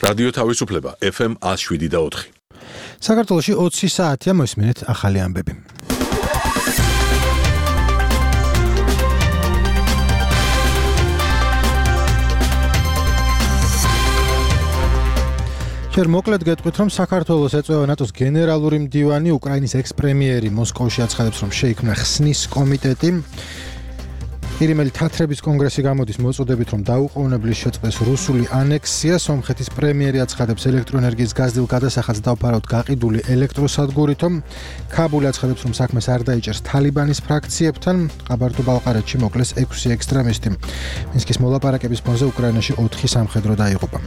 რადიო თავისუფლება FM 107.4. საქართველოში 20 საათია მოსმენთ ახალი ამბები. ჯერ მოკლედ გეტყვით, რომ საქართველოს ეწევა ნატოს გენერალური მდივანი, უკრაინის ექს-პრემიერი მოსკოვში აცხადებს, რომ შეიქმნა ხსნის კომიტეტი. ირიმელი თათრების კონგრესი გამოდის მოწოდებით, რომ დაუყოვნებლივ შეწყდეს რუსული ანექსია. სომხეთის პრემიერი აცხადებს, ელექტროენერგიის გაზრდილ გადასახადს დავფარავთ გაყიდული ელექტროსადგურითო. ქაბული აცხადებს, რომ საქმეს არ დაიჭერს თალიბანის ფრაქციებთან. ყაბარდო-ბალყარეთში მოკლეს 6 ექსტრემისტი. მინსკის მოლაპარაკების ფონზე უკრაინაში 4 სამხედრო დაიღუპა.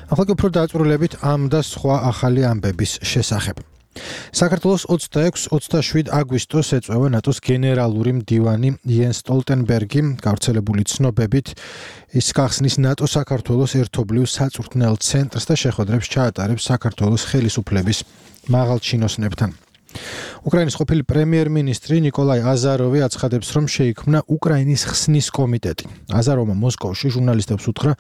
ახლა უფრო დაწვრილებით ამ და სხვა ახალი ამბების შესახებ. საქართველოს 26-27 აგვისტოს ეწევა ნატოს გენერალური მდივანი იენს სტოლტენბერგი. გავრცელებული ცნობებით ის გახსნის ნატო-საქართველოს ერთობლივ საწვრთნელ ცენტრს და შეხვედრებს ჩაატარებს საქართველოს ხელისუფლების მაღალჩინოსნებთან. უკრაინის ყოფილი პრემიერ-მინისტრი ნიკოლაი აზაროვი აცხადებს, რომ შეიქმნა უკრაინის ხსნის კომიტეტი. აზაროვმა მოსკოვში ჟურნალისტებს უთხრა,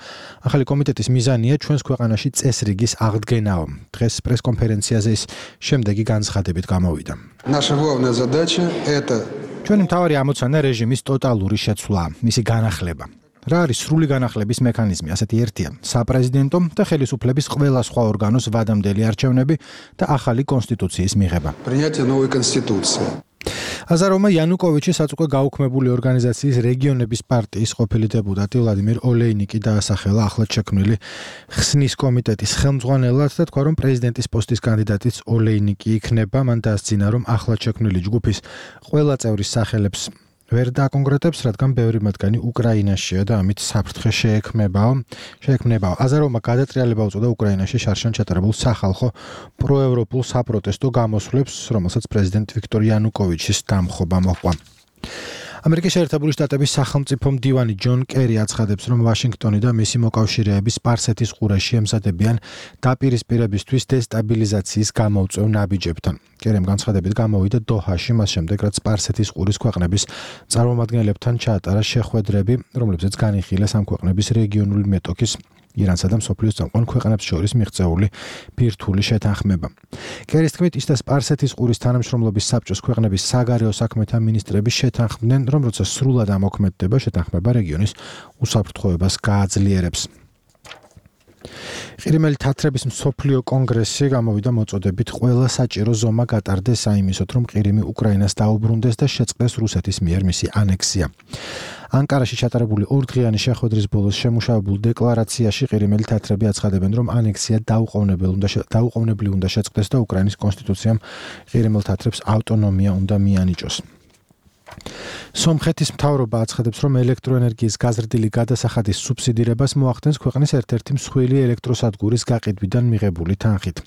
ახალი კომიტეტის მიზანია ჩვენს ქვეყანაში წესრიგის აღდგენაო. დღეს პრესკონფერენციაზე ის შემდეგი განცხადებით გამოვიდა. ჩვენი მთავარი ამოცანა რეჟიმის ტოტალური შეცვლა, მისი განახლება. რა არის სრული განახლების მექანიზმი? ასეთი ერთია: საპრეზიდენტო და ხელისუფლების ყველა სხვა ორგანოს ვადამდელი არჩევნები და ახალი კონსტიტუციის მიღება. აზაროვმა იანუკოვიჩის საწუხე გაუქმებული ორგანიზაციის რეგიონების პარტიის ყოფილი დეპუტატი ვლადიმერ ოლეინიკი დაასახელა ახლად შექმნილი ხსნის კომიტეტის ხელმძღვანელად და თქვა, რომ პრეზიდენტის პოსტის კანდიდატიც ოლეინიკი იქნება. მან დაასძინა, რომ ახლად შექმნილი ჯგუფის ყველა წევრის სახელებს ვერ დაკონკრეტებს, რადგან ბევრი მათგანი უკრაინაშია და ამით საფრთხე შეექმნებაო. აზაროვმა გადატრიალება უწოდა უკრაინაში შარშან ჩატარებულ სახალხო პროევროპულ საპროტესტო გამოსვლებს, რომელსაც პრეზიდენტ ვიქტორ იანუკოვიჩის დამხობა მოჰყვა. ამერიკის შეერთებული შტატების სახელმწიფო მდივანი ჯონ კერი აცხადებს, რომ ვაშინგტონი და მისი მოკავშირეები სპარსეთის ყურეში ემზადებიან დაპირისპირებისთვის დესტაბილიზაციის გამოუწვევ ნაბიჯებთან. კერიმ განცხადებით გამოვიდა დოჰაში, მას შემდეგ, რაც სპარსეთის ყურის ქვეყნების წარმომადგენლებთან ჩაატარა შეხვედრები, რომლებზეც განიხილეს ამ ქვეყნების რეგიონული მეტოქის ირანსა და მსოფლიოს წამყვან ქვეყნებს შორის მიღწეული ბირთვული შეთანხმება. კერის თქმით, ის და სპარსეთის ყურის თანამშრომლობის საბჭოს ქვეყნების საგარეო საქმეთა მინისტრები შეთანხმდნენ, რომ როცა სრულად ამოქმედდება შეთანხმება რეგიონის უსაფრთხოებას გააძლიერებს. ირიმელი თათრების მსოფლიო კონგრესი გამოვიდა მოწოდებით, ყველა საჭირო ზომა გატარდეს საიმისოდ, რომ ყირიმი უკრაინას დაუბრუნდეს და შეწყდეს რუსეთის მიერ მისი ანექსია. ანკარაში ჩატარებული 2 დღიანი შეხვედრის ბოლოს შემუშავებულ დეკლარაციაში ყირიმელი თათრები აცხადებენ, რომ ანექსია დაუყოვნებლივ უნდა შეწყდეს და უკრაინის კონსტიტუციამ ყირიმელ თათრებს ავტონომია უნდა მიანიჭოს. სომხეთის მთავრობა აცხადებს, რომ ელექტროენერგიის გაზრდილი გადასახადის სუბსიდირებას მოახდენს ქვეყნის ერთ-ერთი მსხვილი ელექტროსადგურის გაყიდვიდან მიღებული თანხით.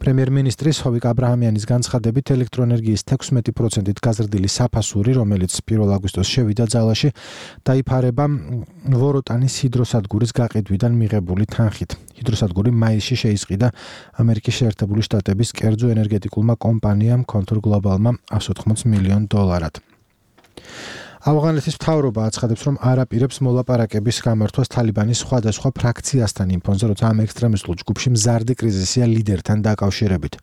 პრემიერ-მინისტრის ჰოვიკ აბრაჰამიანის განცხადებით, ელექტროენერგიის 16%-ით გაზრდილი საფასური, რომელიც 1 აგვისტოს შევიდა ძალაში, დაიფარება ვოროტანის ჰიდროსადგურის გაყიდვიდან მიღებული თანხით. ჰიდროსადგური მაისში შეისყიდა ამერიკის შეერთებული შტატების კერძო ენერგეტიკულმა კომპანიამ Contour Global-მა $180 მილიონ. ავღანეთის მთავრობა აცხადებს, რომ არ აპირებს მოლაპარაკების გამართვას თალიბანის სხვადასხვა ფრაქციასთან იმ ფონზე, როცა ამ ექსტრემისტულ ჯგუფში მზარდი კრიზისია ლიდერთან დაკავშირებით.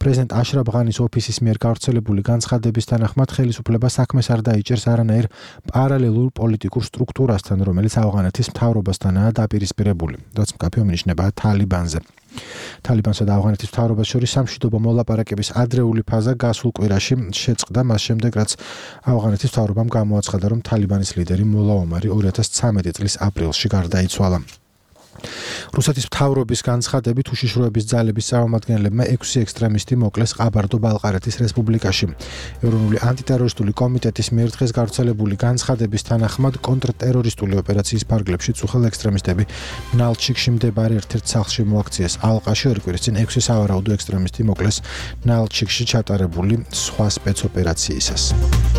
პრეზიდენტ აშრაფ ღანის ოფისის მიერ გავრცელებული განცხადების თანახმად, ხელისუფლება საქმეს არ დაიჭერს არანაირ პარალელურ პოლიტიკურ სტრუქტურასთან, რომელიც ავღანეთის მთავრობასთანაა დაპირისპირებული, რაც მკაფიო მინიშნებაა თალიბანზე. თალიბანსა და ავღანეთის მთავრობას შორის სამშვიდობო მოლაპარაკების ადრეული ფაზა გასულ კვირაში შეწყდა, მას შემდეგ, რაც ავღანეთის მთავრობამ გამოაცხადა, რომ თალიბანის ლიდერი მოლა ომარი 2013 წლის აპრილში გარდაიცვალა. რუსეთის მთავრობის განცხადებით, უშიშროების ძალების წარმომადგენლებმა 6 ექსტრემისტი მოკლეს ყაბარდო-ბალყარეთის რესპუბლიკაში. ეროვნული ანტიტერორისტული კომიტეტის მიერ დღეს გავრცელებული განცხადების თანახმად, კონტრტერორისტული ოპერაციის ფარგლებში წუხელ ექსტრემისტები ნალჩიკში მდებარე ერთ-ერთ სახლში მოაქციეს ალყაში. 2 კვირის წინ 6 სავარაუდო ექსტრემისტი მოკლეს ნალჩიკში ჩატარებული სხვა სპეცოპერაციისას.